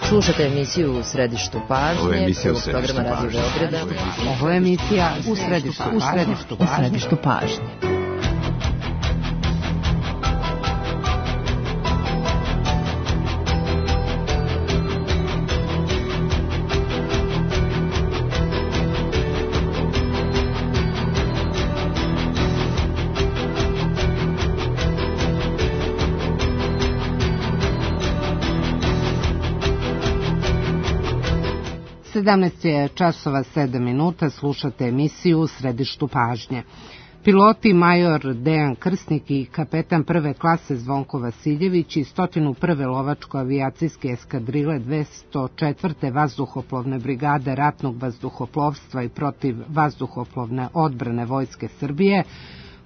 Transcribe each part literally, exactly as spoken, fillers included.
Slušate emisiju U središtu pažnje, prvog programa Radio Beograda. Ovo je emisija U središtu pažnje. U središtu pažnje. sedamnaest je časova sedam minuta, slušate emisiju U središtu pažnje. Piloti major Dejan Krsnik i kapetan prve klase Zvonko Vasiljević i stotinu prve lovačko-avijacijske eskadrile dvesta četvrte vazduhoplovne brigade ratnog vazduhoplovstva i protiv vazduhoplovne odbrane Vojske Srbije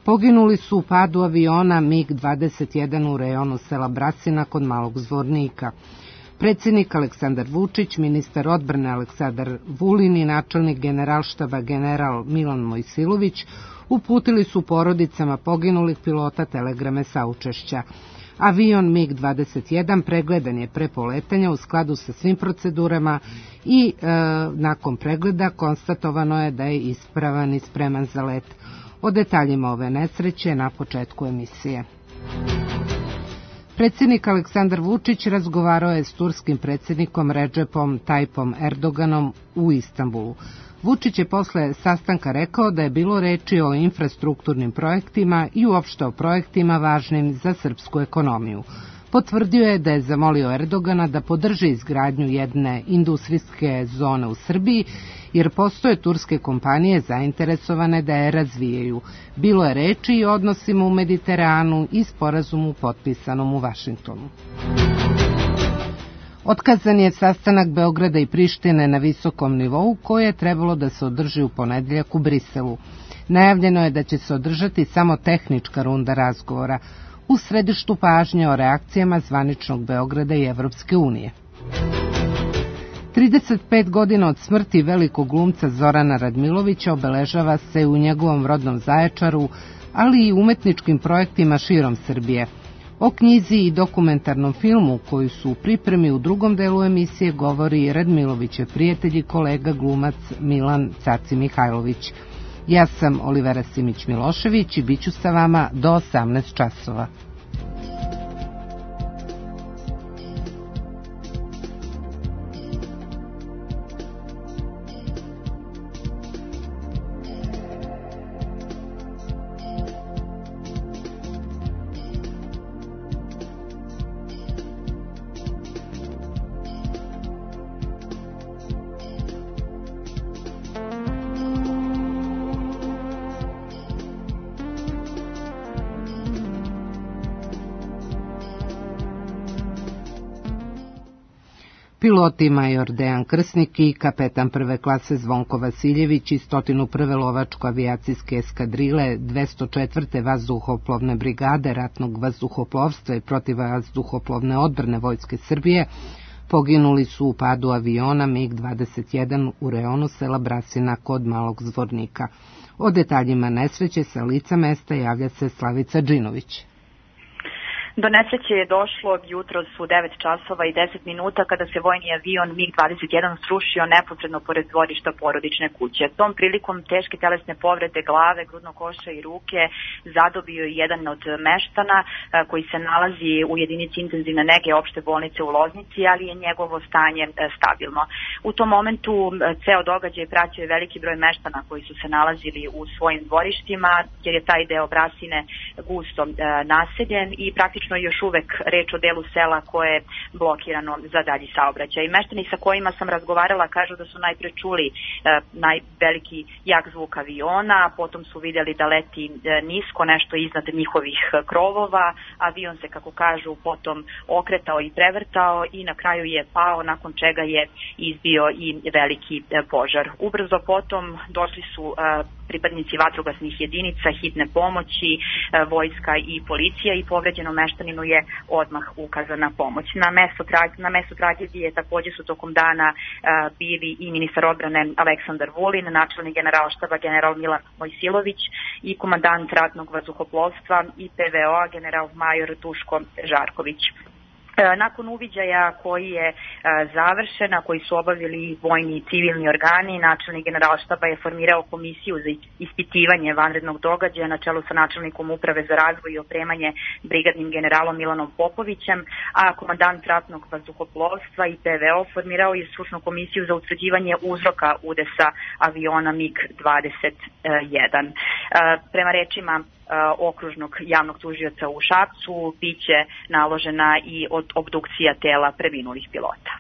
poginuli su u padu aviona MiG dvadeset jedan u rejonu sela Brasina kod Malog Zvornika. Predsjednik Aleksandar Vučić, ministar odbrane Aleksandar Vulin i načelnik generalštaba general Milan Mojsilović uputili su porodicama poginulih pilota telegrame saučešća. Avion MiG dvadeset jedan pregledan je pre poletanja u skladu sa svim procedurama i e, nakon pregleda konstatovano je da je ispravan i spreman za let. O detaljima ove nesreće na početku emisije. Predsjednik Aleksandar Vučić razgovarao je s turskim predsjednikom Redžepom Tajipom Erdoganom u Istanbulu. Vučić je posle sastanka rekao da je bilo reči o infrastrukturnim projektima i uopšte o projektima važnim za srpsku ekonomiju. Potvrdio je da je zamolio Erdogana da podrži izgradnju jedne industrijske zone u Srbiji, jer postoje turske kompanije zainteresovane da je razvijaju. Bilo je reči i o odnosima u Mediteranu i sporazumu potpisanom u Vašingtonu. Otkazan je sastanak Beograda i Prištine na visokom nivou koji je trebalo da se održi u ponedeljak u Briselu. Najavljeno je da će se održati samo tehnička runda razgovora u središtu pažnje o reakcijama zvaničnog Beograda i Evropske unije. trideset pet godina od smrti velikog glumca Zorana Radmilovića obeležava se u njegovom rodnom Zaječaru, ali i umetničkim projektima širom Srbije. O knjizi i dokumentarnom filmu koji su u pripremi u drugom delu emisije govori Radmilovićev prijatelj i kolega glumac Milan Caci Mihajlović. Ja sam Olivera Simić-Milošević i bit ću sa vama do osamnaest časova. Piloti major Dejan Krsnik i kapetan prve klase Zvonko Vasiljević i stotinu prve lovačko-avijacijske eskadrile dvesta četvrte vazduhoplovne brigade ratnog vazduhoplovstva i protiv vazduhoplovne odbrane Vojske Srbije poginuli su u padu aviona MiG dvadeset jedan u rejonu sela Brasina kod Malog Zvornika. O detaljima nesreće sa lica mesta javlja se Slavica Džinović. Do nesreće je došlo jutros u devet časova i deset minuta kada se vojni avion MiG dvadeset jedan srušio neposredno pored dvorišta porodične kuće. Tom prilikom teške telesne povrede glave, grudnog koša i ruke zadobio je jedan od meštana koji se nalazi u jedinici intenzivne nege opšte bolnice u Loznici, ali je njegovo stanje stabilno. U tom momentu ceo događaj pratio je veliki broj meštana koji su se nalazili u svojim dvorištima, jer je taj deo Brasine gusto naseljen i praktično još uvek reč o delu sela koje je blokirano za dalji saobraćaj. Meštani sa kojima sam razgovarala kažu da su najpre čuli e, najveliki jak zvuk aviona, potom su vidjeli da leti e, nisko, nešto iznad njihovih krovova. Avion se, kako kažu, potom okretao i prevrtao i na kraju je pao, nakon čega je izbio i veliki e, požar. Ubrzo potom došli su e, pripadnici vatrogasnih jedinica, hitne pomoći, e, vojska i policija i povređeno meštaninu je odmah ukazana pomoć. Na mesto, na mesto tragedije također su tokom dana uh, bili i ministar odbrane Aleksandar Vulin, načelnik generalštaba general Milan Mojsilović i komandant ratnog vazduhoplovstva i P V O general major Duško Žarković. Nakon uviđaja koji je završen, a koji su obavili vojni i civilni organi, načelnik Generalštaba je formirao komisiju za ispitivanje vanrednog događaja na čelu sa načelnikom Uprave za razvoj i opremanje brigadnim generalom Milanom Popovićem, a komandant ratnog vazduhoplovstva i P V O formirao je stručnu komisiju za utvrđivanje uzroka udesa aviona MiG dvadeset jedan. Prema rečima okružnog javnog tužioca u Šapcu biće naložena i obdukcija tela preminulih pilota.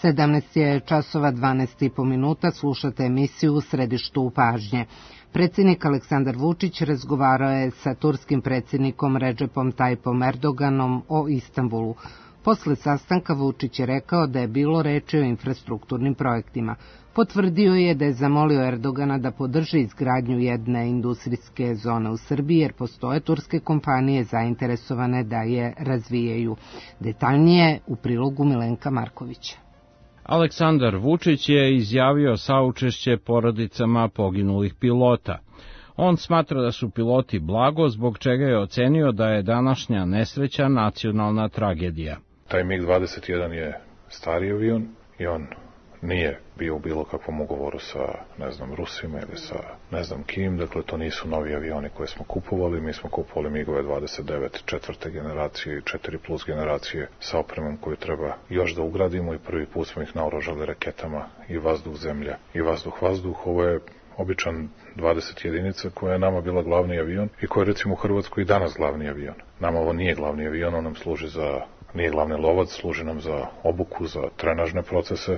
sedamnaest je časova dvanaest i po minuta, slušate emisiju U središtu pažnje. Predsjednik Aleksandar Vučić razgovarao je sa turskim predsjednikom Redžepom Tajipom Erdoganom o Istanbulu. Posle sastanka Vučić je rekao da je bilo reči o infrastrukturnim projektima. Potvrdio je da je zamolio Erdogana da podrži izgradnju jedne industrijske zone u Srbiji, jer postoje turske kompanije zainteresovane da je razvijaju. Detaljnije u prilogu Milenka Markovića. Aleksandar Vučić je izjavio saučešće porodicama poginulih pilota. On smatra da su piloti blago, zbog čega je ocenio da je današnja nesreća nacionalna tragedija. Taj MiG dvadeset jedan je stari avion i on nije bio u bilo kakvom ugovoru sa, ne znam, Rusima ili sa ne znam kim, dakle to nisu novi avioni koje smo kupovali, mi smo kupovali MiG-ove dvadeset devet četvrte generacije i četiri plus generacije sa opremom koju treba još da ugradimo i prvi put smo ih naoružali raketama i vazduh-zemlja i vazduh-vazduh. Ovo je običan dvadeset jedinica koja je nama bila glavni avion i koja je recimo u Hrvatskoj i danas glavni avion. Nama ovo nije glavni avion, on nam služi za, nije glavni lovac, služi nam za obuku, za trenažne procese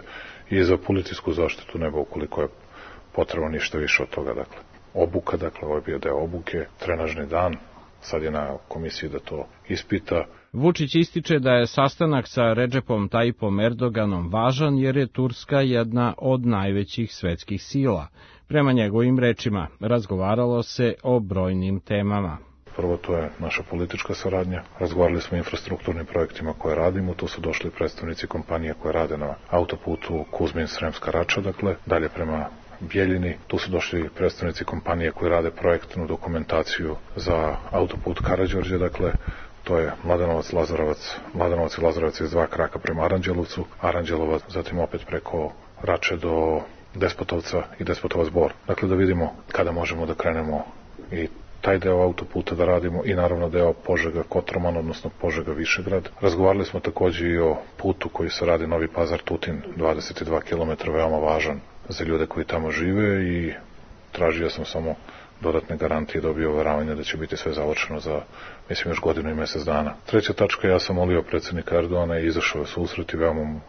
i za policijsku zaštitu neba ukoliko je potrebno, ništa više od toga. Dakle, obuka, dakle, ovo je bio deo obuke, trenažni dan, sad je na komisiji da to ispita. Vučić ističe da je sastanak sa Redžepom Tajipom Erdoganom važan jer je Turska jedna od najvećih svetskih sila. Prema njegovim rečima, razgovaralo se o brojnim temama. Prvo, to je naša politička saradnja. Razgovarali smo o infrastrukturnim projektima koje radimo. Tu su došli predstavnici kompanije koje rade na autoputu Kuzmin-Sremska Rača, dakle, dalje prema Bjeljini. Tu su došli predstavnici kompanije koje rade projektnu dokumentaciju za autoput Karađorđe, dakle, to je Mladenovac, Lazarevac, Mladenovac i Lazarevac iz dva kraka prema Aranđelovcu, Aranđelovac, zatim opet preko Rače do Despotovca i Despotovac Bor. Dakle, da vidimo kada možemo da krenemo i taj deo autoputa da radimo i naravno deo Požega-Kotroman, odnosno Požega-Višegrad. Razgovarali smo takođe i o putu koji se radi Novi Pazar-Tutin, dvadeset dva kilometra, veoma važan za ljude koji tamo žive i tražio sam samo dodatne garantije i dobio uveravanje da će biti sve završeno za, mislim, još godinu i mesec dana. Treća tačka, ja sam molio predsjednika Erdogana i izašao je susret i veoma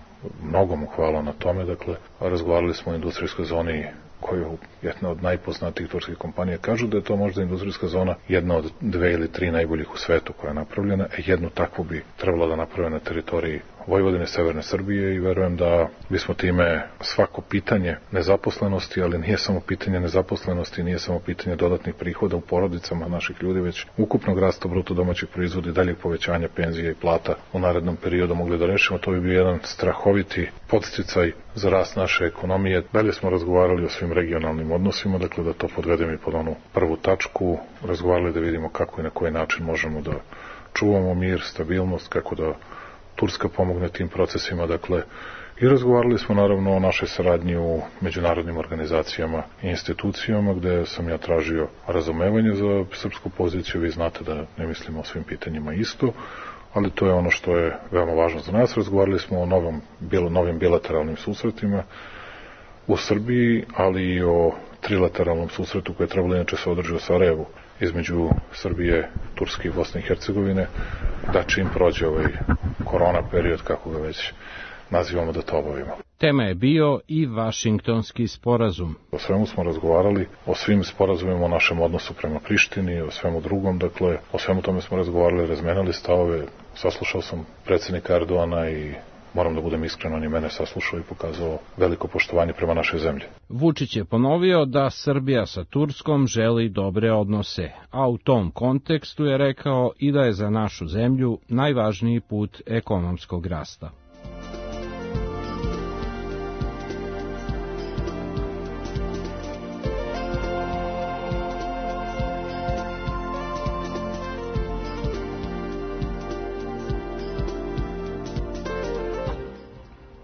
mnogo mu hvala na tome. Dakle, razgovarali smo o industrijskoj zoni koju jedna od najpoznatijih turskih kompanija kažu da je to možda industrijska zona jedna od dve ili tri najboljih u svetu koja je napravljena. Jednu takvu bi trebalo da naprave na teritoriji Vojvodine, severne Srbije i verujem da bismo time svako pitanje nezaposlenosti, ali nije samo pitanje nezaposlenosti, nije samo pitanje dodatnih prihoda u porodicama naših ljudi, već ukupnog rasta bruto domaćeg proizvoda i daljeg povećanja penzija i plata u narednom periodu mogli da rešimo. To bi bio jedan strahoviti podsticaj za rast naše ekonomije. Dalje smo razgovarali o svim regionalnim odnosima, dakle da to podvedem i pod onu prvu tačku, razgovarali da vidimo kako i na koji način možemo da čuvamo mir, stabilnost, kako da Turska pomogne tim procesima, dakle, i razgovarali smo naravno o našoj saradnji u međunarodnim organizacijama i institucijama, gde sam ja tražio razumevanje za srpsku poziciju. Vi znate da ne mislimo o svim pitanjima isto, ali to je ono što je veoma važno za nas. Razgovarali smo o novom, bilo, novim bilateralnim susretima u Srbiji, ali i o trilateralnom susretu koji je trebalo inače se održi u Sarajevu između Srbije, Turske i Bosne i Hercegovine, da čim prođe ovaj korona period, kako ga već nazivamo da to obavimo. Tema je bio i Vašingtonski sporazum. O svemu smo razgovarali, o svim sporazumima, o našem odnosu prema Prištini, o svemu drugom, dakle, o svemu tome smo razgovarali, razmenali stavove, saslušao sam predsjednika Erdoana i moram da budem iskren, on je mene saslušao i pokazao veliko poštovanje prema našoj zemlji. Vučić je ponovio da Srbija sa Turskom želi dobre odnose, a u tom kontekstu je rekao i da je za našu zemlju najvažniji put ekonomskog rasta.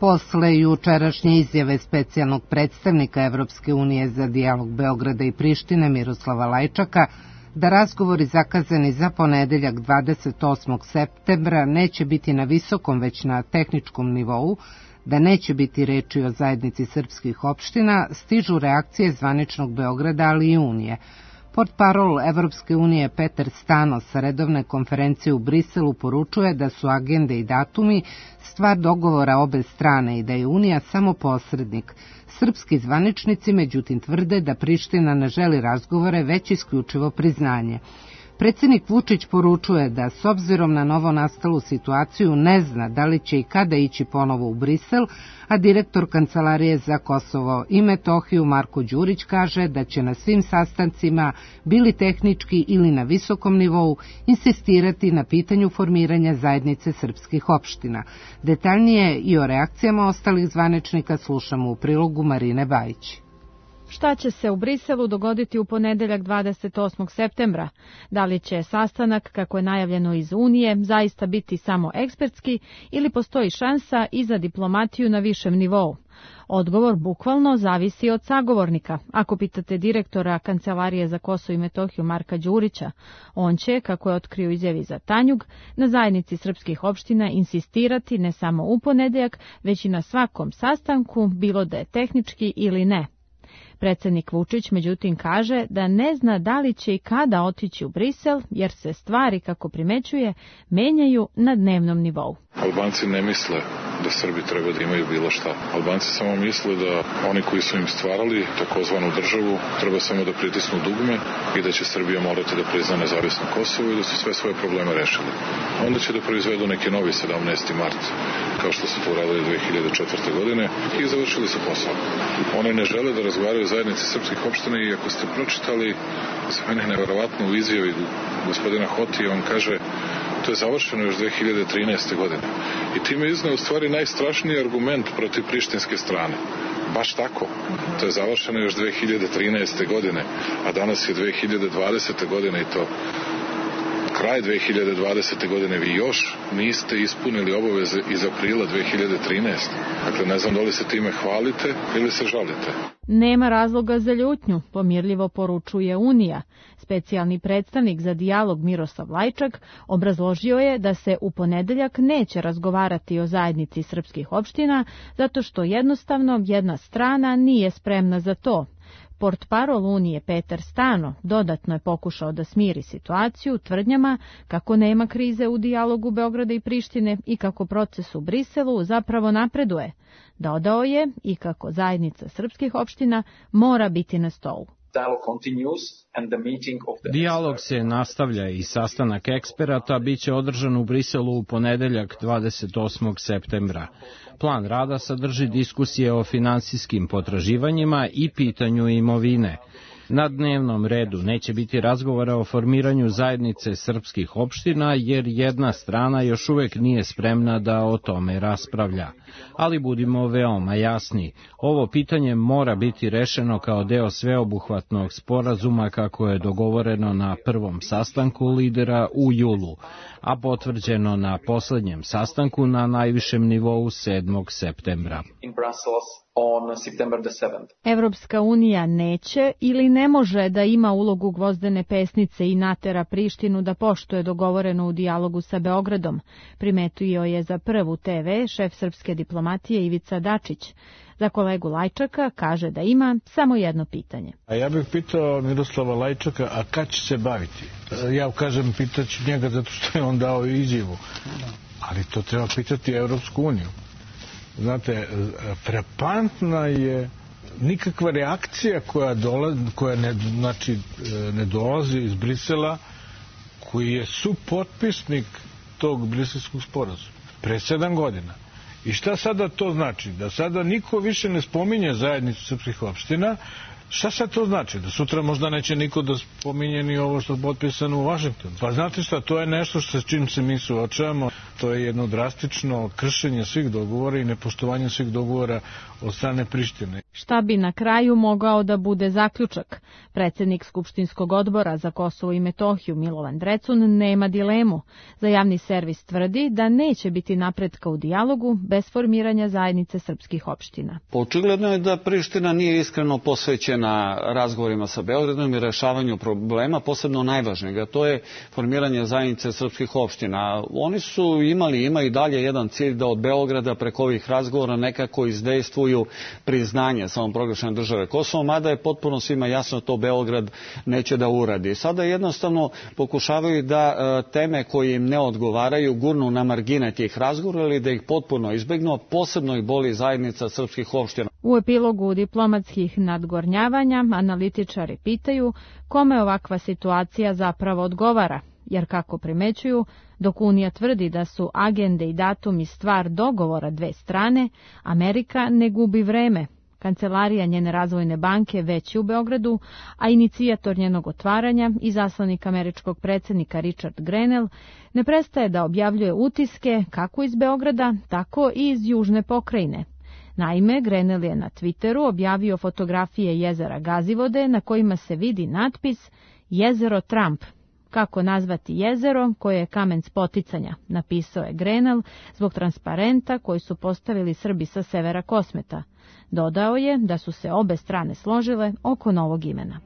Posle jučerašnje izjave specijalnog predstavnika Evropske unije za dijalog Beograda i Prištine Miroslava Lajčaka da razgovori zakazani za ponedeljak dvadeset osmog septembra neće biti na visokom već na tehničkom nivou, da neće biti reči o zajednici srpskih opština, stižu reakcije zvaničnog Beograda, ali i Unije. Portparol Evropske unije Peter Stano sa redovne konferencije u Briselu poručuje da su agende i datumi stvar dogovora obe strane i da je Unija samo posrednik. Srpski zvaničnici međutim tvrde da Priština ne želi razgovore, već isključivo priznanje. Predsjednik Vučić poručuje da s obzirom na novo nastalu situaciju ne zna da li će i kada ići ponovo u Brisel, a direktor Kancelarije za Kosovo i Metohiju Marko Đurić kaže da će na svim sastancima, bili tehnički ili na visokom nivou, insistirati na pitanju formiranja zajednice srpskih opština. Detaljnije i o reakcijama ostalih zvaničnika slušamo u prilogu Marine Bajić. Šta će se u Briselu dogoditi u ponedeljak dvadeset osmog septembra? Da li će sastanak, kako je najavljeno iz Unije, zaista biti samo ekspertski ili postoji šansa i za diplomatiju na višem nivou? Odgovor bukvalno zavisi od sagovornika. Ako pitate direktora Kancelarije za Kosovo i Metohiju Marka Đurića, on će, kako je otkrio izjavi za Tanjug, na zajednici srpskih opština insistirati ne samo u ponedeljak, već i na svakom sastanku, bilo da je tehnički ili ne. Predsjednik Vučić međutim kaže da ne zna da li će i kada otići u Brisel, jer se stvari, kako primećuje, menjaju na dnevnom nivou. Albanci ne misle da Srbi treba da imaju bilo šta. Albanci samo misle da oni koji su im stvarali takozvanu državu treba samo da pritisnu dugme i da će Srbija morati da prizna nezavisno Kosovo i da su sve svoje probleme rešili. Onda će da proizvedu neki novi sedamnaesti mart, kao što su to uradili dve hiljade četvrte. godine i završili su posao. Oni ne žele da razgovaraju o zajednici srpskih opština i ako ste pročitali, za mene je neverovatno u izjavi gospodina Hotija, on kaže to je završeno još dve hiljade trinaeste. godine. I time izneo u stvari najstrašniji argument protiv prištinske strane. Baš tako. To je završeno još dve hiljade trinaeste. godine, a danas je dve hiljade dvadesete. godine i to kraj dve hiljade dvadesete. godine. Vi još niste ispunili obaveze iz aprila dve hiljade trinaeste. Dakle, ne znam da li se time hvalite ili se žalite. Nema razloga za ljutnju, pomirljivo poručuje Unija. Specijalni predstavnik za dijalog Miroslav Lajčak obrazložio je da se u ponedeljak neće razgovarati o zajednici srpskih opština, zato što jednostavno jedna strana nije spremna za to. Portparol Unije Peter Stano dodatno je pokušao da smiri situaciju tvrdnjama kako nema krize u dijalogu Beograda i Prištine i kako proces u Briselu zapravo napreduje. Dodao je i kako zajednica srpskih opština mora biti na stolu. Dijalog se nastavlja i sastanak eksperata biće održan u Briselu u ponedeljak dvadeset osmog septembra. Plan rada sadrži diskusije o finansijskim potraživanjima i pitanju imovine. Na dnevnom redu neće biti razgovora o formiranju zajednice srpskih opština, jer jedna strana još uvek nije spremna da o tome raspravlja. Ali budimo veoma jasni, ovo pitanje mora biti rešeno kao deo sveobuhvatnog sporazuma kako je dogovoreno na prvom sastanku lidera u julu, a potvrđeno na poslednjem sastanku na najvišem nivou sedmog septembra. Evropska unija neće ili ne može da ima ulogu gvozdene pesnice i natera Prištinu da poštuje dogovoreno u dijalogu sa Beogradom, primetio je za Prvu te ve šef srpske diplomatije Ivica Dačić. Za kolegu Lajčaka kaže da ima samo jedno pitanje. A ja bih pitao Miroslava Lajčaka, a kad će se baviti? Ja kažem, pitaću njega zato što je on dao izjavu. Ali to treba pitati Evropsku uniju. znate, frapantna je nikakva reakcija koja, dolazi, koja ne, znači, ne dolazi iz Brisela, koji je supotpisnik tog briselskog sporazuma. Pre sedam godina. I šta sada to znači? Da sada niko više ne spominje zajednicu srpskih opština. Šta sad to znači? Da sutra možda neće niko da spominje ni ovo što je potpisano u Vašingtonu. Pa znate šta, to je nešto što s čim se mi suočavamo. To je jedno drastično kršenje svih dogovora i nepoštovanje svih dogovora od strane Prištine. Šta bi na kraju mogao da bude zaključak? Predsjednik Skupštinskog odbora za Kosovo i Metohiju Milovan Drecun nema dilemu. Za javni servis tvrdi da neće biti napretka u dijalogu bez formiranja zajednice srpskih opština. Očigledno je da Priština nije iskreno posvećena razgovorima sa Beogradom i rešavanju problema, posebno najvažnijeg, a to je formiranje zajednice srpskih opština. Oni su imali, ima i dalje jedan cilj da od Beograda preko ovih razgovora nekako izdejstvuju priznanje samoproglašene države Kosovo, mada je potpuno svima jasno to Beograd neće da uradi. Sada jednostavno pokušavaju da e, teme koje im ne odgovaraju gurnu na margine tih razgovora ili da ih potpuno izbegnu, a posebno ih boli zajednica srpskih opština. U epilogu diplomatskih nadgornjavanja analitičari pitaju kome ovakva situacija zapravo odgovara, jer kako primećuju, dok Unija tvrdi da su agende i datumi stvar dogovora dve strane, Amerika ne gubi vreme. Kancelarija njene razvojne banke već je u Beogradu, a inicijator njenog otvaranja i zaslanik američkog predsjednika Richard Grenell ne prestaje da objavljuje utiske kako iz Beograda, tako i iz južne pokrajine. Naime, Grenell je na Twitteru objavio fotografije jezera Gazivode na kojima se vidi natpis Jezero Trump. Kako nazvati jezero koje je kamen spoticanja, napisao je Grenell zbog transparenta koji su postavili Srbi sa severa Kosmeta. Dodao je da su se obe strane složile oko novog imena.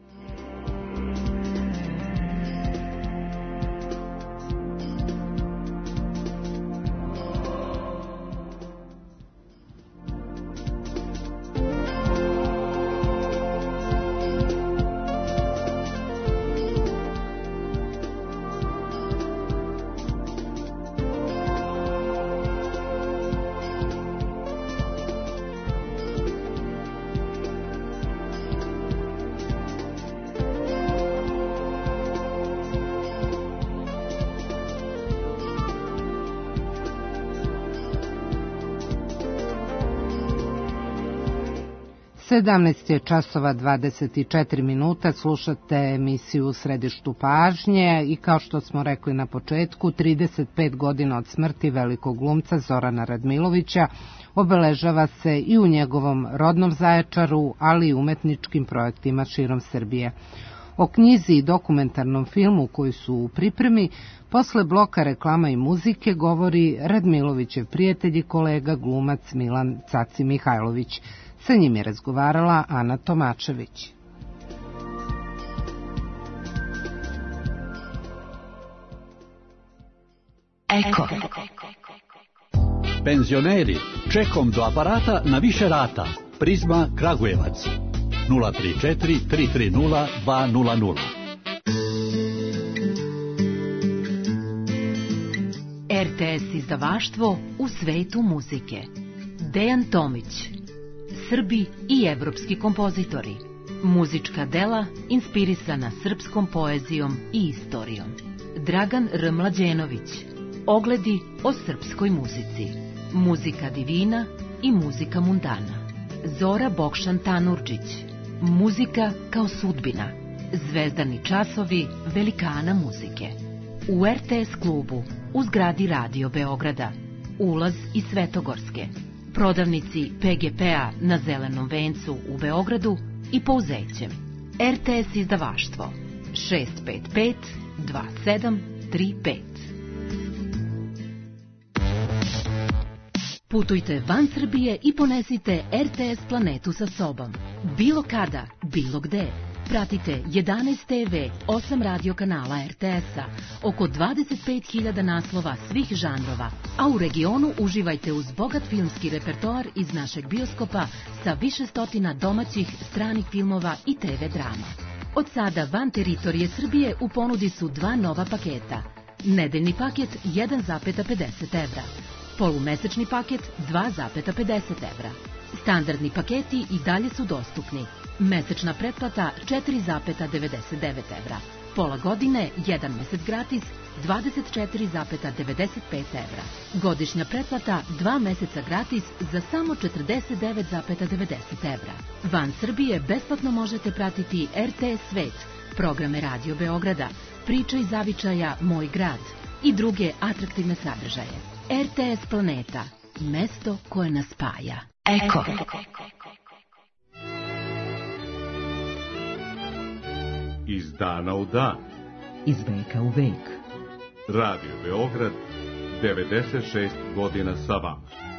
sedamnaest je časova dvadeset četiri minuta, slušate emisiju U središtu pažnje i kao što smo rekli na početku, trideset pet godina od smrti velikog glumca Zorana Radmilovića obeležava se i u njegovom rodnom Zaječaru, ali i umetničkim projektima širom Srbije. O knjizi i dokumentarnom filmu koji su u pripremi, posle bloka reklama i muzike govori Radmilovićev prijatelj i kolega glumac Milan Caci Mihajlović. Sa njim je razgovarala Ana Tomačević. Eko. Penzioneri, čekom do aparata na više rata. Prizma Kragujevac. nula tri četiri tri tri nula dva nula nula. R T S izdavaštvo u svetu muzike. Dejan Tomić. Srbi i evropski kompozitori. Muzička dela inspirisana srpskom poezijom i istorijom. Dragan R. Mlađenović. Ogledi o srpskoj muzici. Muzika divina i muzika mundana. Zora Bokšan Tanurđić. Muzika kao sudbina. Zvezdani časovi velikana muzike. U R T S klubu u zgradi Radio Beograda. Ulaz iz Svetogorske. Prodavnici P G P-a na Zelenom vencu u Beogradu i Pouzećem. R T S izdavaštvo šest pet pet dva sedam tri pet. Putujte van Srbije i ponesite R T S planetu sa sobom. Bilo kada, bilo gde. Pratite jedanaest te ve, osam radio kanala R T S-a, oko dvadeset pet hiljada naslova svih žanrova, a u regionu uživajte uz bogat filmski repertoar iz našeg bioskopa sa više stotina domaćih, stranih filmova i te ve drama. Od sada van teritorije Srbije u ponudi su dva nova paketa. Nedeljni paket jedan zarez pedeset evra. Polumesečni paket dva zarez pedeset evra. Standardni paketi i dalje su dostupni. Mesečna pretplata četiri zarez devedeset devet evra. Pola godine, jedan mesec gratis, dvadeset četiri zarez devedeset pet evra. Godišnja pretplata, dva meseca gratis za samo četrdeset devet zarez devedeset evra. Van Srbije besplatno možete pratiti R T S Svet, programe Radio Beograda, Priča iz zavičaja Moj grad i druge atraktivne sadržaje. R T S Planeta, mesto koje nas spaja. Eko. Iz dana u dan. Iz veka u vek. Radio Beograd, devedeset šest godina sa vama.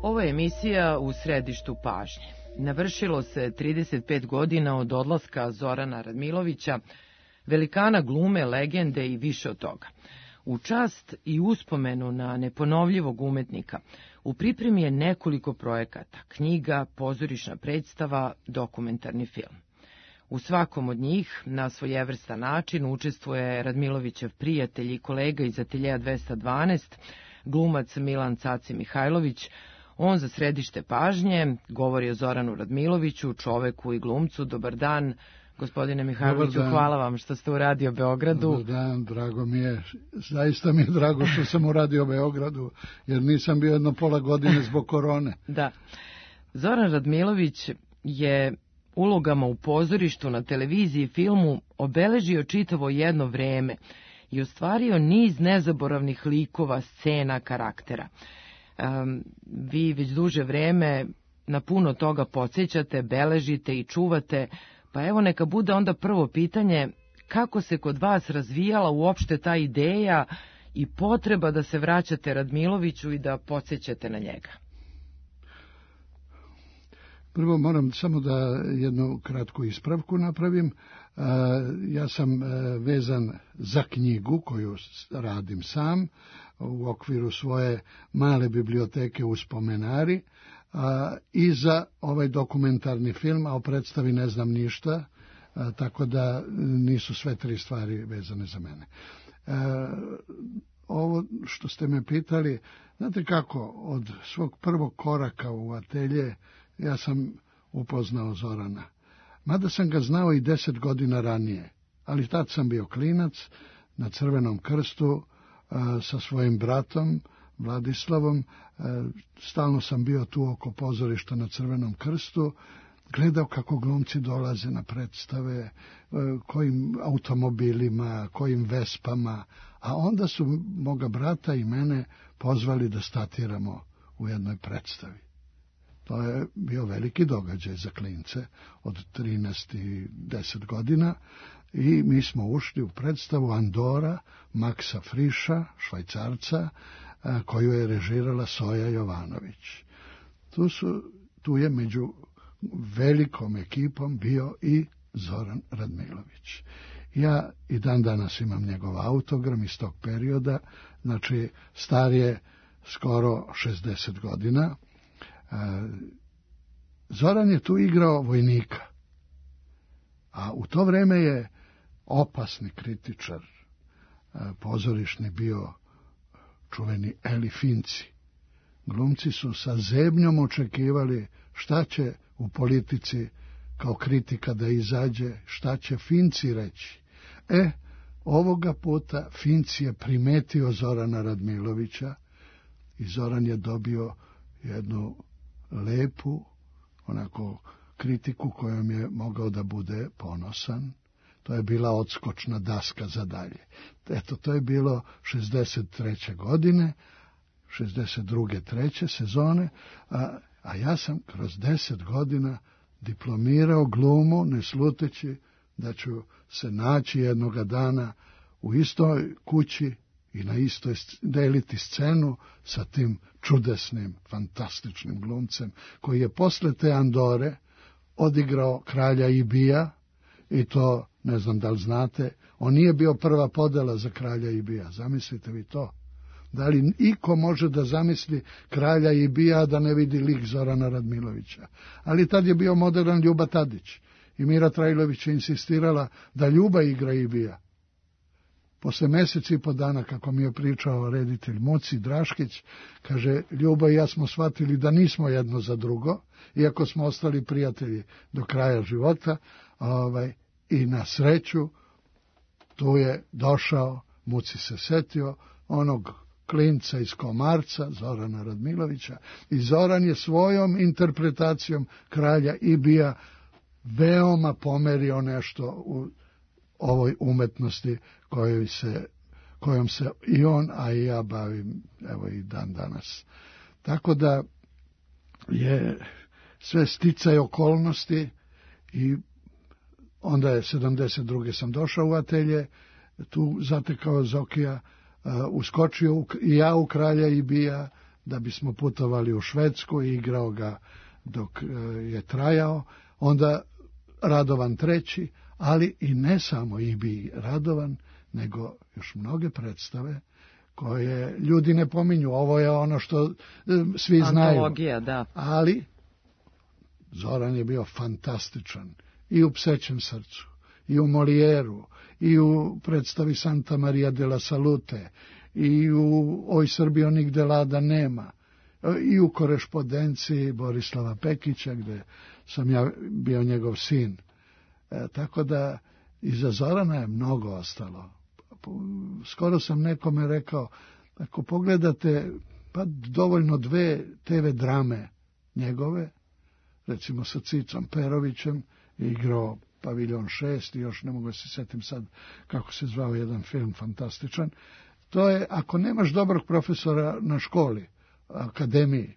Ovo je emisija U središtu pažnje. Navršilo se trideset pet godina od odlaska Zorana Radmilovića, velikana glume, legende i više od toga. U čast i uspomenu na neponovljivog umetnika u pripremi je nekoliko projekata, knjiga, pozorišna predstava, dokumentarni film. U svakom od njih, na svojevrstan način, učestvuje Radmilovićev prijatelj i kolega iz Ateljeja dvesta dvanaest, glumac Milan Caci Mihajlović, On za središte pažnje govori o Zoranu Radmiloviću, čoveku i glumcu. Dobar dan, gospodine Mihajloviću, hvala vam što ste u Radio Beogradu. Dobar dan, drago mi je, zaista mi je drago što sam u Radio Beogradu, jer nisam bio jedno pola godine zbog korone. Da. Zoran Radmilović je ulogama u pozorištu, na televiziji i filmu obeležio čitavo jedno vreme i ostvario niz nezaboravnih likova, scena, karaktera. Um, vi već duže vreme na puno toga podsjećate, beležite i čuvate, pa evo neka bude onda prvo pitanje, kako se kod vas razvijala uopšte ta ideja i potreba da se vraćate Radmiloviću i da podsjećate na njega? Prvo moram samo da jednu kratku ispravku napravim. Ja sam vezan za knjigu koju radim sam u okviru svoje male biblioteke u Spomenari i za ovaj dokumentarni film, a o predstavi ne znam ništa, tako da nisu sve tri stvari vezane za mene. Ovo što ste me pitali, znate kako, od svog prvog koraka u atelje ja sam upoznao Zorana. Mada sam ga znao i deset godina ranije, ali tad sam bio klinac na Crvenom krstu a, sa svojim bratom Vladislavom. A, stalno sam bio tu oko pozorišta na Crvenom krstu, gledao kako glumci dolaze na predstave, a, kojim automobilima, kojim vespama, a onda su moga brata i mene pozvali da statiramo u jednoj predstavi. To je bio veliki događaj za klince od trinaest i deset godina i mi smo ušli u predstavu Andora Maksa Friša, Švajcarca, koju je režirala Soja Jovanović. Tu, su, tu je među velikom ekipom bio i Zoran Radmilović. Ja i dan danas imam njegov autogram iz tog perioda, znači star je skoro šezdeset godina. Zoran je tu igrao vojnika, a u to vreme je opasni kritičar pozorišni bio čuveni Eli Finci. Glumci su sa zebnjom očekivali šta će u politici kao kritika da izađe, šta će Finci reći. E, ovoga puta Finci je primetio Zorana Radmilovića i Zoran je dobio jednu lepu, onako, kritiku kojom je mogao da bude ponosan. To je bila odskočna daska za dalje. Eto, to je bilo šezdeset treće godine, šezdeset druge treće sezone, a, a ja sam kroz deset godina diplomirao glumu, ne sluteći da ću se naći jednoga dana u istoj kući i na istoj deliti scenu sa tim čudesnim, fantastičnim glumcem, koji je posle te Andore odigrao Kralja Ibija, i to, ne znam da li znate, on nije bio prva podela za Kralja Ibija, zamislite vi to. Da li iko može da zamisli Kralja Ibija da ne vidi lik Zorana Radmilovića? Ali tad je bio modern Ljuba Tadić i Mira Trajlović je insistirala da Ljuba igra Ibija. Posle meseci i po dana, kako mi je pričao reditelj Muci Draškić, kaže, Ljuba i ja smo shvatili da nismo jedno za drugo, iako smo ostali prijatelji do kraja života, ovaj, i na sreću tu je došao, Muci se setio, onog klinca iz Komarca, Zorana Radmilovića, i Zoran je svojom interpretacijom Kralja Ibija veoma pomerio nešto u ovoj umetnosti kojoj se, kojom se i on, a i ja bavim, evo i dan danas. Tako da je sve sticaj okolnosti i onda je sedamdeset druge sam došao u atelje, tu zatekao Zokija, uh, uskočio u, i ja u Kralja Ibija, da bismo putovali u Švedsku i igrao ga dok uh, je trajao, onda Radovan treći, ali i ne samo Ibij Radovan, nego još mnoge predstave koje ljudi ne pominju. Ovo je ono što uh, svi znaju. Antologija, da. Ali Zoran je bio fantastičan i u Psećem srcu, i u Molijeru, i u predstavi Santa Maria de la Salute, i u Oj Srbijo nigde lada nema. i u korespondenciji Borislava Pekića, gde sam ja bio njegov sin. E, tako da iza Zorana je mnogo ostalo. Skoro sam nekome rekao, ako pogledate, pa dovoljno dve te ve drame njegove, recimo sa Cicom Perovićem, je igrao Paviljon šest i još ne mogu se setim sad kako se zvao jedan film fantastičan. To je, ako nemaš dobrog profesora na školi, akademiji,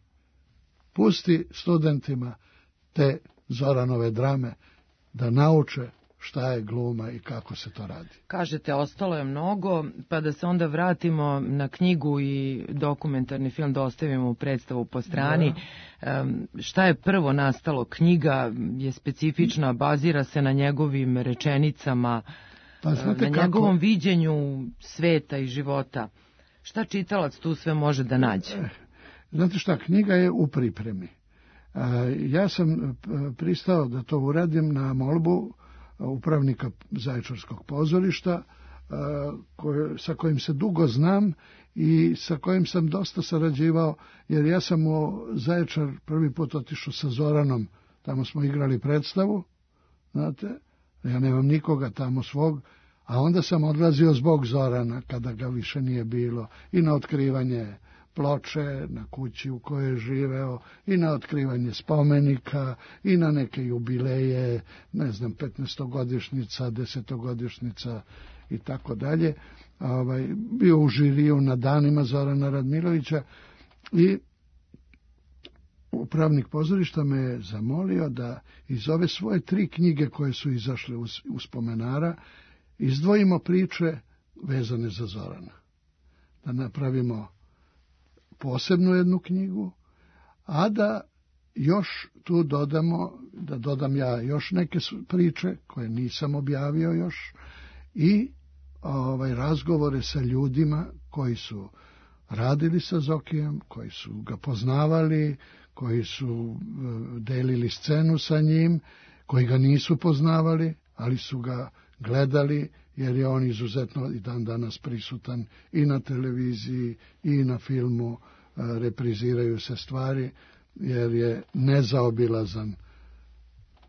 pusti studentima te Zoranove drame da nauče šta je gluma i kako se to radi. Kažete, ostalo je mnogo, pa da se onda vratimo na knjigu i dokumentarni film, da ostavimo predstavu po strani. Da. Šta je prvo nastalo? Knjiga je specifična, bazira se na njegovim rečenicama, pa, na njegovom kako... viđenju sveta i života. Šta čitalac tu sve može da nađe? Znate šta, knjiga je u pripremi. Ja sam pristao da to uradim na molbu upravnika Zaječarskog pozorišta, koje, sa kojim se dugo znam i sa kojim sam dosta sarađivao, jer ja sam u Zaječar prvi put otišao sa Zoranom, tamo smo igrali predstavu, znate, ja nemam nikoga tamo svog, a onda sam odlazio zbog Zorana, kada ga više nije bilo, i na otkrivanje ploče na kući u kojoj je živeo, i na otkrivanje spomenika, i na neke jubileje, ne znam, petnaestogodišnjica, desetogodišnjica i tako dalje. Ovaj, bio u žiriju na danima Zorana Radmilovića i upravnik pozorišta me je zamolio da iz ove svoje tri knjige koje su izašle u, u spomenara izdvojimo priče vezane za Zorana. Da napravimo posebnu jednu knjigu, a da još tu dodamo, da dodam ja još neke priče koje nisam objavio još i ovaj, razgovore sa ljudima koji su radili sa Zokijem, koji su ga poznavali, koji su delili scenu sa njim, koji ga nisu poznavali, ali su ga gledali, jer je on izuzetno i dan danas prisutan i na televiziji i na filmu, repriziraju se stvari, jer je nezaobilazan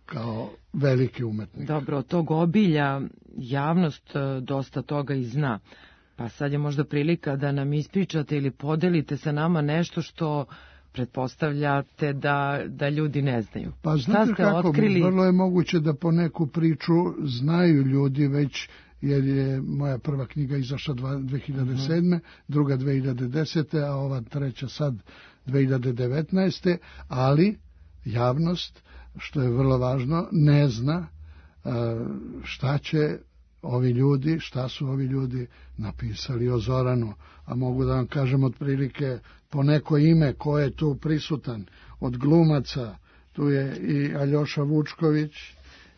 kao veliki umetnik. Dobro, od tog obilja javnost dosta toga i zna. Pa sad je možda prilika da nam ispričate ili podelite sa nama nešto što pretpostavljate da, da ljudi ne znaju. Pa znate kako, otkrili? Vrlo je moguće da po neku priču znaju ljudi već, jer je moja prva knjiga izašla dve hiljade sedme, druga dve hiljade desete, a ova treća sad dve hiljade devetnaeste, ali javnost, što je vrlo važno, ne zna šta će ovi ljudi, šta su ovi ljudi napisali o Zoranu, a mogu da vam kažem otprilike po neko ime ko je tu prisutan od glumaca. Tu je i Aljoša Vučković,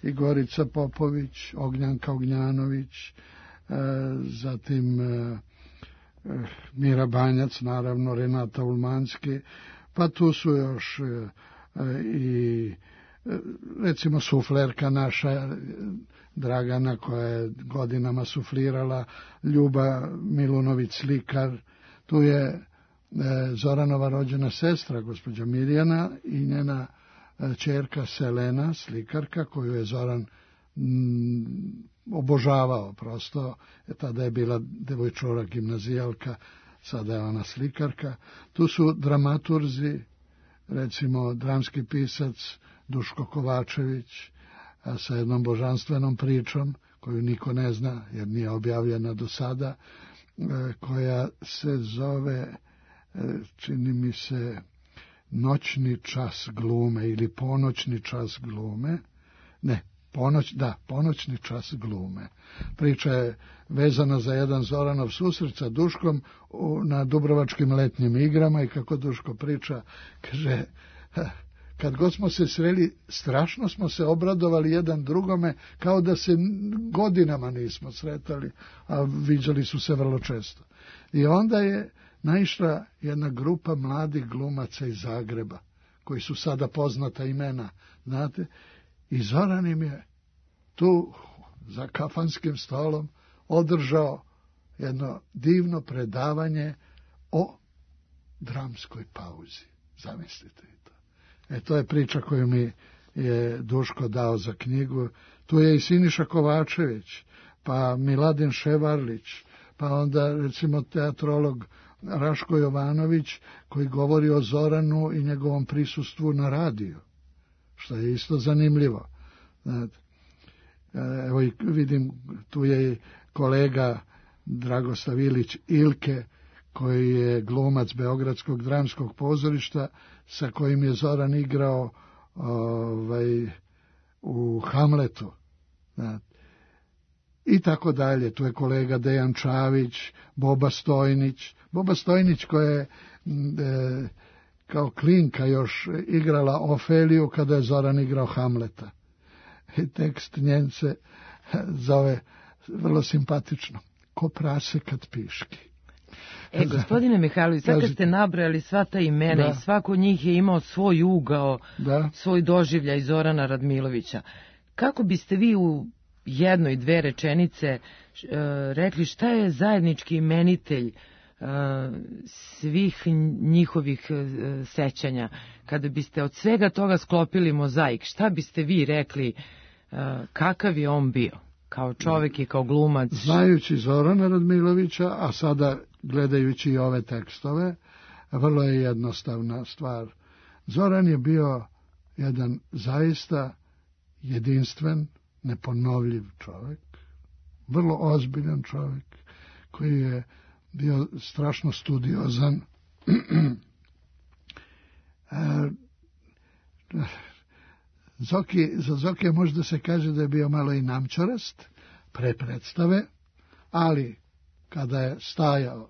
i Gorica Popović, Ognjanka Ognjanović, e, zatim e, Mira Banjac, naravno Renata Ulmanski, pa tu su još e, i e, recimo suflerka naša Dragana koja je godinama suflirala, Ljuba Milunović slikar, tu je e, Zoranova rođena sestra, gospođa Mirjana, i njena ćerka Selena, slikarka, koju je Zoran m, obožavao prosto. E, tada je bila devojčura gimnazijalka, sada je ona slikarka. Tu su dramaturzi, recimo dramski pisac Duško Kovačević, a sa jednom božanstvenom pričom, koju niko ne zna, jer nije objavljena do sada, e, koja se zove, e, čini mi se, Noćni čas glume ili Ponoćni čas glume. Ne, ponoć, da, Ponoćni čas glume. Priča je vezana za jedan Zoranov susret sa Duškom na Dubrovačkim letnjim igrama i kako Duško priča, kaže, kad god smo se sreli, strašno smo se obradovali jedan drugome, kao da se godinama nismo sretali, a viđali su se vrlo često. I onda je naišla jedna grupa mladih glumaca iz Zagreba, koji su sada poznata imena, znate, i Zoran im je tu za kafanskim stolom održao jedno divno predavanje o dramskoj pauzi. Zamislite to. E, to je priča koju mi je Duško dao za knjigu. Tu je i Siniša Kovačević, pa Miladin Ševarlić, pa onda recimo teatrolog Raško Jovanović koji govori o Zoranu i njegovom prisustvu na radiju, što je isto zanimljivo. Znate, evo i vidim, tu je i kolega Dragoslav Ilić Ilke, koji je glumac Beogradskog dramskog pozorišta, sa kojim je Zoran igrao ovaj, u Hamletu. Znate. I tako dalje. Tu je kolega Dejan Čavić, Boba Stojnić. Boba Stojnić koja je e, kao klinka još igrala Ofeliju kada je Zoran igrao Hamleta. I tekst njen se zove vrlo simpatično. Ko prase kad piški. E, gospodine Mihajlović, sad kad ste nabrojali sva ta imena, da, i svako od njih je imao svoj ugao, da, svoj doživljaj Zorana Radmilovića. Kako biste vi u jednoj, dve rečenice e, rekli šta je zajednički imenitelj e, svih njihovih e, sećanja? Kada biste od svega toga sklopili mozaik, šta biste vi rekli, e, kakav je on bio? Kao čovjek i kao glumac? Znajući Zorana Radmilovića, a sada gledajući i ove tekstove, vrlo je jednostavna stvar. Zoran je bio jedan zaista jedinstven, neponovljiv čovjek, vrlo ozbiljan čovjek, koji je bio strašno studiozan. Zoki, za Zokija možda se kaže da je bio malo i namčarast pre predstave, ali kada je stajao,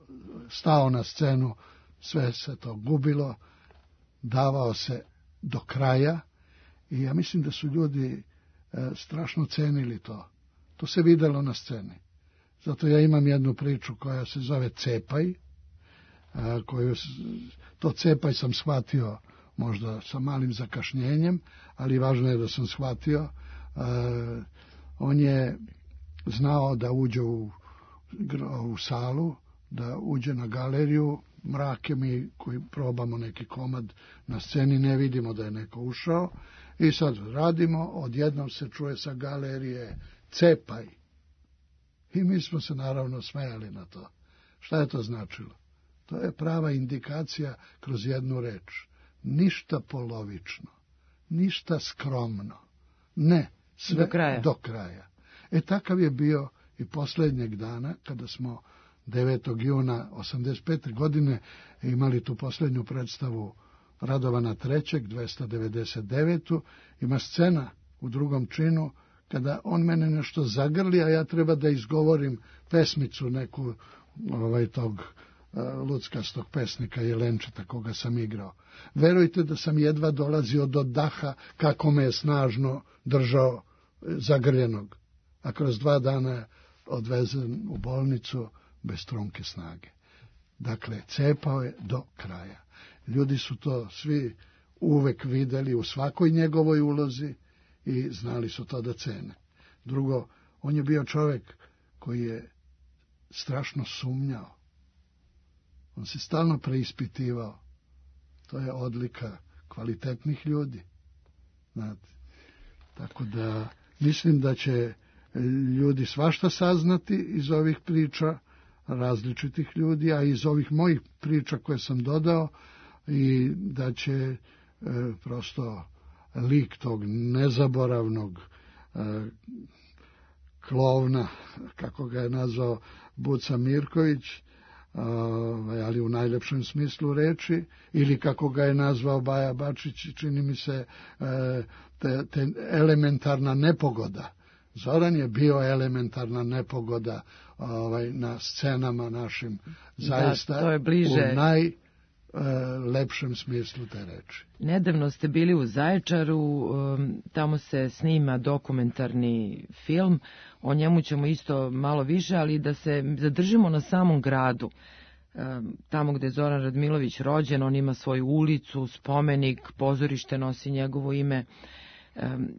stao na scenu, sve se to gubilo, davao se do kraja i ja mislim da su ljudi e, strašno cenili to. To se videlo na sceni. Zato ja imam jednu priču koja se zove Cepaj, a, koju, to Cepaj sam shvatio možda sa malim zakašnjenjem, ali važno je da sam shvatio. A, on je znao da uđe u, u salu, da uđe na galeriju, mrake mi koji probamo neki komad na sceni, ne vidimo da je neko ušao i sad radimo, odjednom se čuje sa galerije Cepaj. I mi smo se naravno smejali na to. Šta je to značilo? To je prava indikacija kroz jednu reč. Ništa polovično, ništa skromno. Ne, sve do kraja. Do kraja. E takav je bio i posljednjeg dana, kada smo devetog juna osamdeset pete godine imali tu posljednju predstavu Radovana trećeg, dvesta devedeset devetu Ima scena u drugom činu kada on mene nešto zagrli, a ja treba da izgovorim pesmicu neku ovaj, tog uh, luckastog pesnika Jelenčeta koga sam igrao. Verujte da sam jedva dolazio do daha kako me je snažno držao zagrljenog, a kroz dva dana odvezen u bolnicu bez trunke snage. Dakle, cepao je do kraja. Ljudi su to svi uvek videli u svakoj njegovoj ulozi i znali su to da cene. Drugo, on je bio čovjek koji je strašno sumnjao. On se stalno preispitivao. To je odlika kvalitetnih ljudi. Znate. Tako da mislim da će ljudi svašta saznati iz ovih priča različitih ljudi, a iz ovih mojih priča koje sam dodao, i da će e, prosto lik tog nezaboravnog e, klovna, kako ga je nazvao Buca Mirković, e, ali u najlepšem smislu reči, ili kako ga je nazvao Baja Bačić, čini mi se e, te, te elementarna nepogoda. Zoran je bio elementarna nepogoda ovaj, na scenama našim, zaista, da, to je bliže u najlepšem smislu te reči. Nedavno ste bili u Zaječaru, tamo se snima dokumentarni film, o njemu ćemo isto malo više, ali da se zadržimo na samom gradu. Tamo gde je Zoran Radmilović rođen, on ima svoju ulicu, spomenik, pozorište nosi njegovo ime.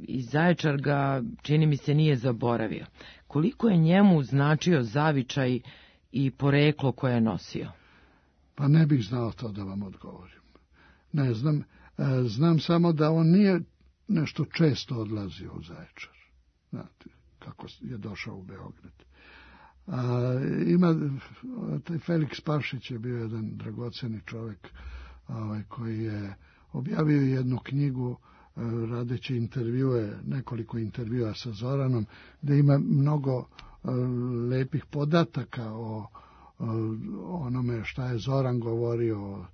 I Zaječar ga, čini mi se, nije zaboravio. Koliko je njemu značio zavičaj i poreklo koje je nosio? Pa ne bih znao to da vam odgovorim. Ne znam, znam samo da on nije nešto često odlazio u Zaječar. Znate, kako je došao u Beograd. A, ima, taj Feliks Pašić je bio jedan dragoceni čovjek ovaj, koji je objavio jednu knjigu radeći intervjue, nekoliko intervjua sa Zoranom, gdje ima mnogo lepih podataka o, o onome šta je Zoran govorio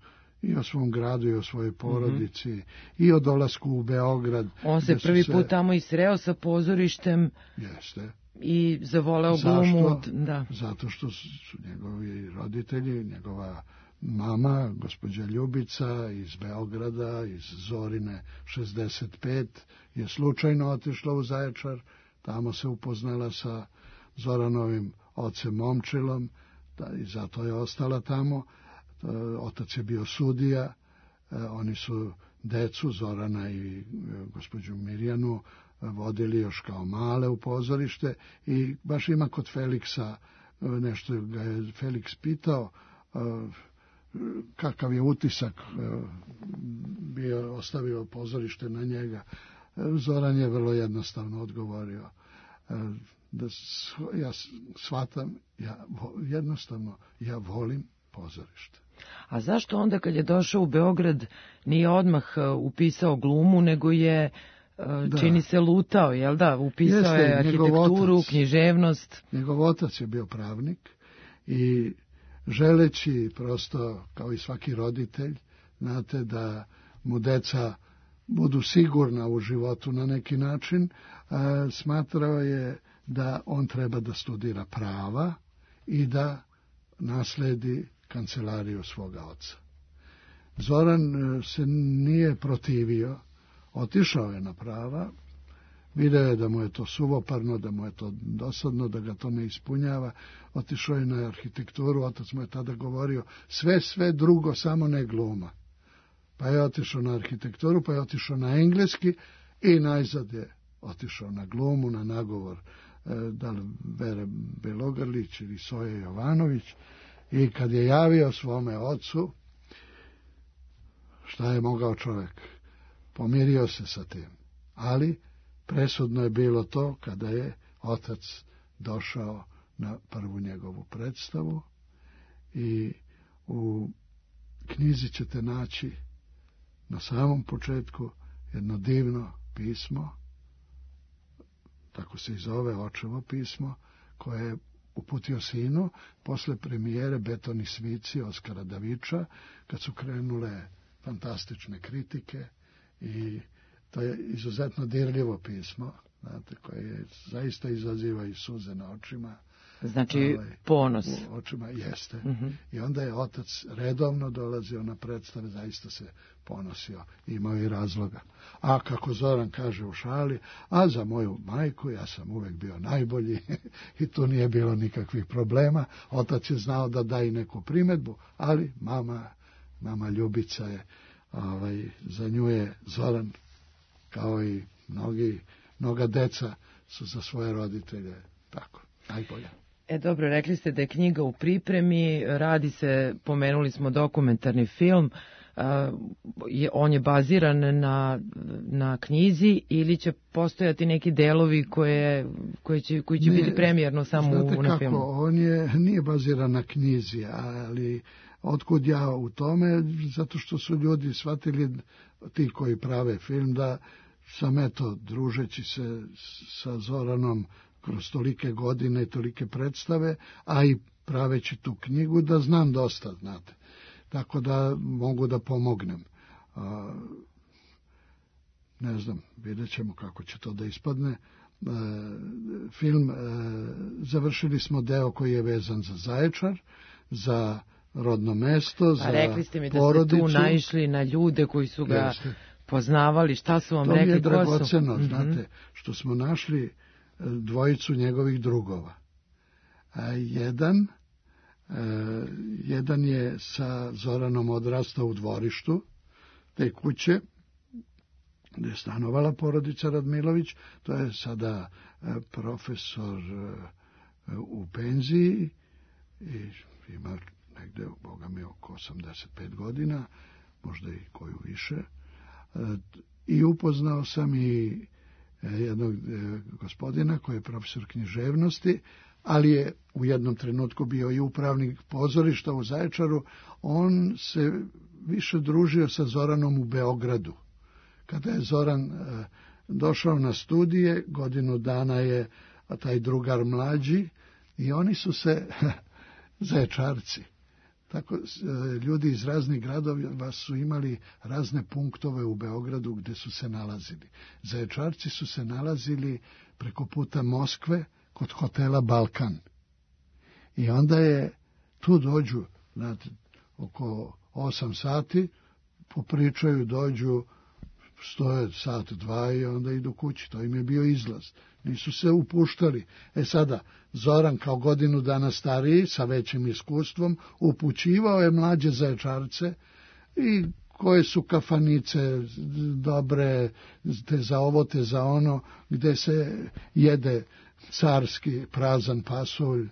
i o svom gradu i o svojoj porodici, mm-hmm. i o dolasku u Beograd. On se prvi se... put tamo i sreo sa pozorištem. Jeste. I zavoleo glumu. Da. Zato što su njegovi roditelji, njegova mama, gospođa Ljubica iz Beograda, iz Zorine šezdeset pet, je slučajno otišla u Zaječar, tamo se upoznala sa Zoranovim ocem Momčilom i zato je ostala tamo. Otac je bio sudija, oni su decu, Zorana i gospođu Mirjanu, vodili još kao male u pozorište i baš ima kod Feliksa, nešto ga je Feliks pitao, kakav je utisak bio, ostavio pozorište na njega. Zoran je vrlo jednostavno odgovorio da ja shvatam, ja jednostavno ja volim pozorište. A zašto onda kad je došao u Beograd nije odmah upisao glumu, nego je, da. čini se, lutao, jel da? Upisao Jeste, je arhitekturu, otac, književnost. Njegov otac je bio pravnik i želeći prosto, kao i svaki roditelj, znate, da mu deca budu sigurna u životu na neki način, smatrao je da on treba da studira prava i da nasledi kancelariju svoga oca. Zoran se nije protivio, otišao je na prava, video je da mu je to suvoparno, da mu je to dosadno, da ga to ne ispunjava, otišao je na arhitekturu, otac mu je tada govorio sve, sve drugo, samo ne gluma. Pa je otišao na arhitekturu, pa je otišao na engleski i najzad je otišao na glumu, na nagovor da li Vere Belogrlić ili Soje Jovanović. I kad je javio svome ocu, šta je mogao čovjek? Pomirio se sa tim. Ali presudno je bilo to kada je otac došao na prvu njegovu predstavu i u knjizi ćete naći na samom početku jedno divno pismo, tako se i zove, očevo pismo, koje je uputio sinu posle premijere Betoni svici Oskara Daviča, kad su krenule fantastične kritike i to je izuzetno dirljivo pismo, znate, koje je, zaista izaziva i suze na očima. Znači ovaj, ponos. U očima jeste. Uh-huh. I onda je otac redovno dolazio na predstave, zaista se ponosio, imao i razloga. A kako Zoran kaže u šali, a za moju majku ja sam uvek bio najbolji i tu nije bilo nikakvih problema. Otac je znao da da i neku primedbu, ali mama, mama Ljubica je, ovaj, za nju je Zoran, kao i mnogi, mnoga deca su za svoje roditelje tako, najbolja. E dobro, rekli ste da je knjiga u pripremi, radi se, pomenuli smo dokumentarni film, uh, je, on je baziran na, na knjizi ili će postojati neki delovi koje, koje će, koji će ne, biti premijerno samo u, na kako, filmu? On je, nije baziran na knjizi, ali otkud ja u tome, zato što su ljudi shvatili, ti koji prave film, da sam eto, družeći se sa Zoranom kroz tolike godine i tolike predstave, a i praveći tu knjigu, da znam dosta, znate. Tako da mogu da pomognem. A, ne znam, vidjet ćemo kako će to da ispadne. A, film, a, završili smo deo koji je vezan za Zaječar, za rodno mesto, za porodicu. A rekli ste mi da porodicu. ste tu naišli na ljude koji su ga Jeste. poznavali, šta su vam to rekli? To mi je dragoceno, mm-hmm. znate, što smo našli dvojicu njegovih drugova. A jedan, a, jedan je sa Zoranom odrastao u dvorištu te kuće gde je stanovala porodica Radmilović, to je sada a, profesor a, u penziji i ima negde, boga mi, oko osamdeset pet godina, možda i koju više, i upoznao sam i jednog gospodina koji je profesor književnosti, ali je u jednom trenutku bio i upravnik pozorišta u Zaječaru. On se više družio sa Zoranom u Beogradu. Kada je Zoran došao na studije, godinu dana je taj drugar mlađi i oni su se Zaječarci. Tako, ljudi iz raznih gradova su imali razne punktove u Beogradu gde su se nalazili. Zaječarci su se nalazili preko puta Moskve kod hotela Balkan. I onda je, tu dođu, znate, oko osam sati, popričaju, dođu, stoje sat, dva i onda idu kući. To im je bio izlaz. Nisu se upuštali. E sada, Zoran kao godinu dana stariji, sa većim iskustvom, upućivao je mlađe Zaječarce i koje su kafanice dobre, te za ovo, te za ono, gde se jede carski prazan pasulj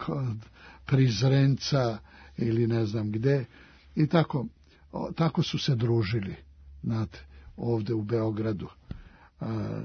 kod Prizrenca ili ne znam gde. I tako, tako su se družili, znate, ovde u Beogradu. A,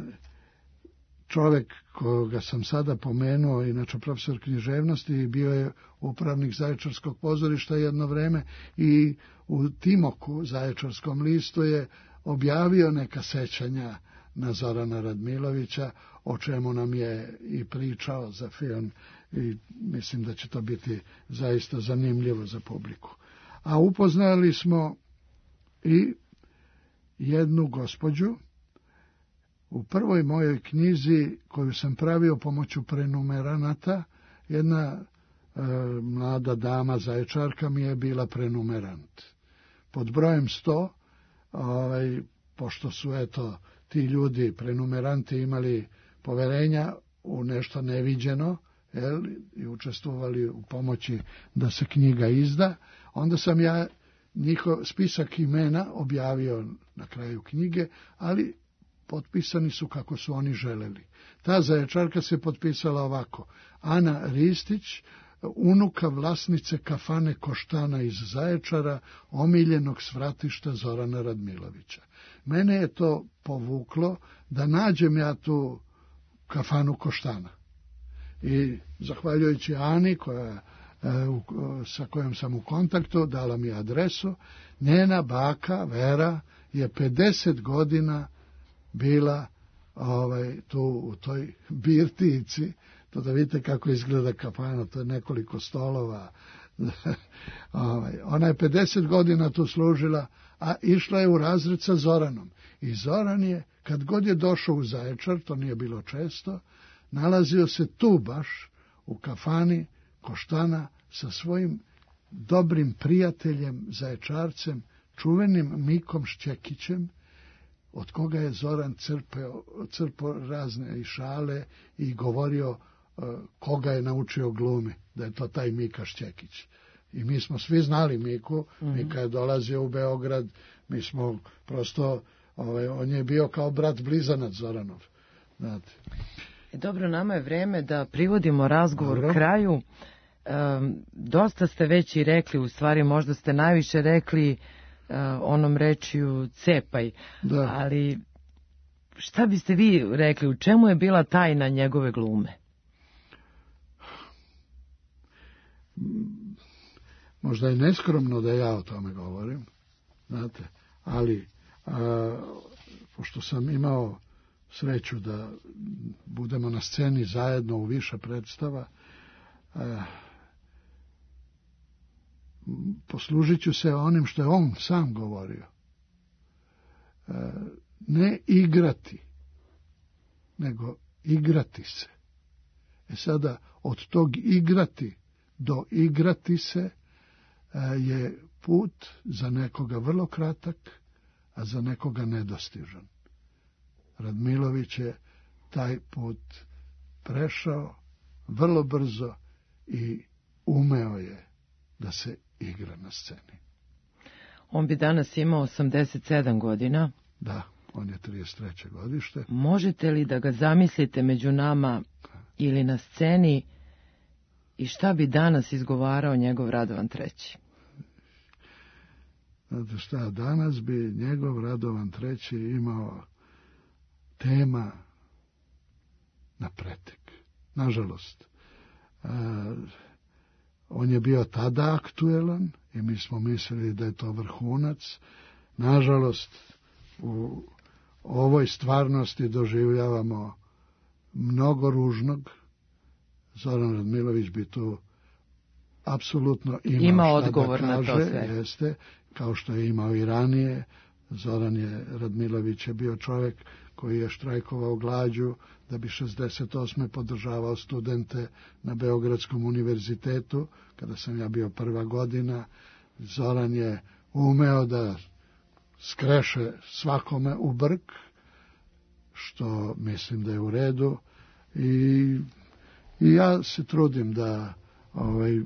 čovek koga sam sada pomenuo, inače profesor književnosti, bio je upravnik Zaječarskog pozorišta jedno vreme i u Timoku, Zaječarskom listu, je objavio neka sećanja na Zorana Radmilovića, o čemu nam je i pričao za film i mislim da će to biti zaista zanimljivo za publiku. A upoznali smo i jednu gospođu u prvoj mojoj knjizi koju sam pravio pomoću prenumeranata. Jedna e, mlada dama Zaječarka mi je bila prenumerant. Pod brojem sto, ovaj, pošto su eto ti ljudi prenumeranti imali poverenja u nešto neviđeno, jel, i učestvovali u pomoći da se knjiga izda, onda sam ja njihov spisak imena objavio na kraju knjige, ali potpisani su kako su oni želeli. Ta Zaječarka se potpisala ovako: Ana Ristić, unuka vlasnice kafane Koštana iz Zaječara, omiljenog svratišta Zorana Radmilovića. Mene je to povuklo da nađem ja tu kafanu Koštana. I zahvaljujući Ani, koja, sa kojom sam u kontaktu, dala mi adresu, njena baka Vera je pedeset godina bila ovaj, tu u toj birtici. To da vidite kako izgleda kafana, to je nekoliko stolova. ovaj, ona je pedeset godina tu služila, a išla je u razred sa Zoranom. I Zoran je, kad god je došao u Zaječar, to nije bilo često, nalazio se tu baš u kafani Koštana sa svojim dobrim prijateljem Zaječarcem, čuvenim Mikom Šćekićem, od koga je Zoran crpeo, crpao razne i šale i govorio uh, koga je naučio glumi, da je to taj Mika Šćekić. I mi smo svi znali Miku, mm-hmm. Mika je dolazio u Beograd, mi smo prosto, ovaj, on je bio kao brat blizanac Zoranov. Znate. Dobro, nama je vreme da privodimo razgovor Dobro. kraju. Um, dosta ste već i rekli, u stvari možda ste najviše rekli uh, onom rečju cepaj, da. Ali šta biste vi rekli, u čemu je bila tajna njegove glume? Možda je neskromno da ja o tome govorim, znate, ali a, pošto sam imao sreću da budemo na sceni zajedno u više predstava, a, poslužit ću se onim što je on sam govorio. A, ne igrati, nego igrati se. E sada, od tog igrati do igrati se je put za nekoga vrlo kratak, a za nekoga nedostižan. Radmilović je taj put prešao vrlo brzo i umeo je da se igra na sceni. On bi danas imao osamdeset sedam godina. Da, on je trideset treće godište. Možete li da ga zamislite među nama ili na sceni i šta bi danas izgovarao njegov Radovan treći? Znate šta, danas bi njegov Radovan treći imao tema na pretek. Nažalost, e, on je bio tada aktuelan i mi smo mislili da je to vrhunac. Nažalost, u ovoj stvarnosti doživljavamo mnogo ružnog. Zoran Radmilović bi tu apsolutno imao Ima šta odgovor da kaže, na to sve. jeste, kao što je imao i ranije. Zoran je, Radmilović je bio čovjek koji je štrajkovao glađu da bi šezdeset osme podržavao studente na Beogradskom univerzitetu, kada sam ja bio prva godina. Zoran je umeo da skreše svakome u brk, što mislim da je u redu, i, i ja se trudim da ovaj,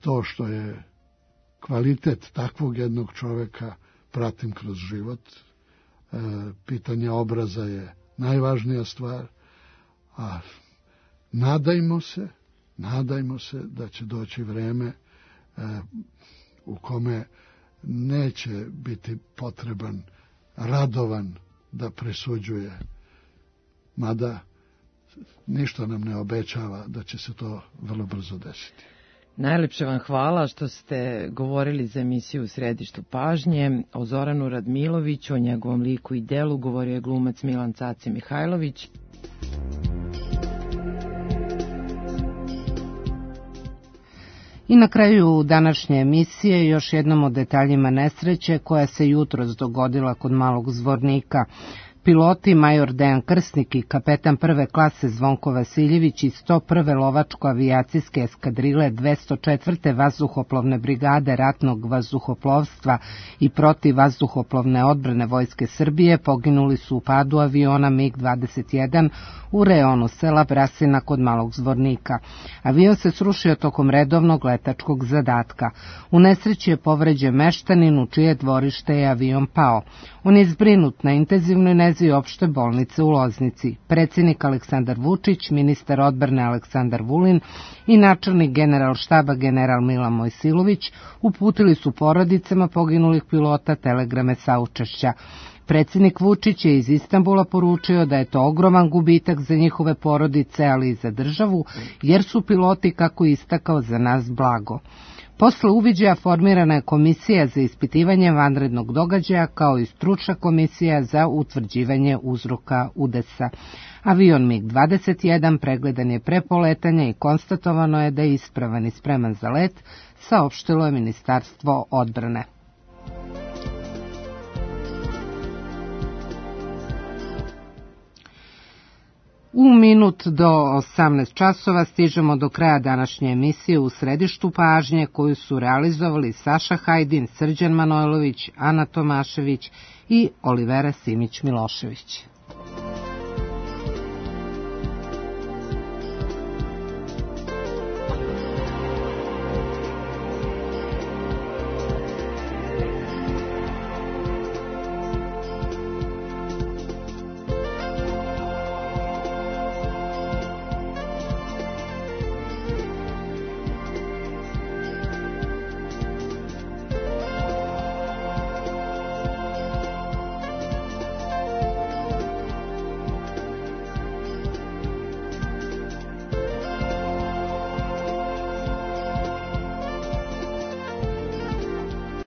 to što je kvalitet takvog jednog čovjeka pratim kroz život. E, pitanje obraza je najvažnija stvar, a nadajmo se, nadajmo se da će doći vreme e, u kome neće biti potreban Radovan da presuđuje, mada ništa nam ne obećava da će se to vrlo brzo desiti. Najlepše vam hvala što ste govorili za emisiju U središtu pažnje. O Zoranu Radmiloviću, o njegovom liku i delu govorio je glumac Milan Caci Mihajlović. I na kraju današnje emisije još jednom o detaljima nesreće koja se jutros dogodila kod Malog Zvornika. Piloti major Dejan Krsnik i kapetan prve klase Zvonko Vasiljević iz sto prve lovačko-avijacijske eskadrile dvesta četvrte vazduhoplovne brigade ratnog vazduhoplovstva i protivvazduhoplovne odbrane Vojske Srbije poginuli su u padu aviona MiG dvadeset jedan u reonu sela Brasina kod Malog Zvornika. Avion se srušio tokom redovnog letačkog zadatka. U nesreći je povređen meštanin u čije dvorište je avion pao. On je zbrinut na intenzivnoj nezi opšte bolnice u Loznici. Predsjednik Aleksandar Vučić, ministar odbrane Aleksandar Vulin i načelnik generalštaba general Milan Mojsilović uputili su porodicama poginulih pilota telegrame saučešća. Predsjednik Vučić je iz Istanbula poručio da je to ogroman gubitak za njihove porodice, ali i za državu, jer su piloti, kako istakao, za nas blago. Posle uviđaja formirana je komisija za ispitivanje vanrednog događaja, kao i stručna komisija za utvrđivanje uzroka udesa. Avion MiG dvadeset jedan pregledan je pre poletanja i konstatovano je da je ispravan i spreman za let, saopštilo je Ministarstvo odbrane. U minut do osamnaest časova stižemo do kraja današnje emisije U središtu pažnje, koju su realizovali Saša Hajdin, Srđan Manojlović, Ana Tomašević i Olivera Simić Milošević.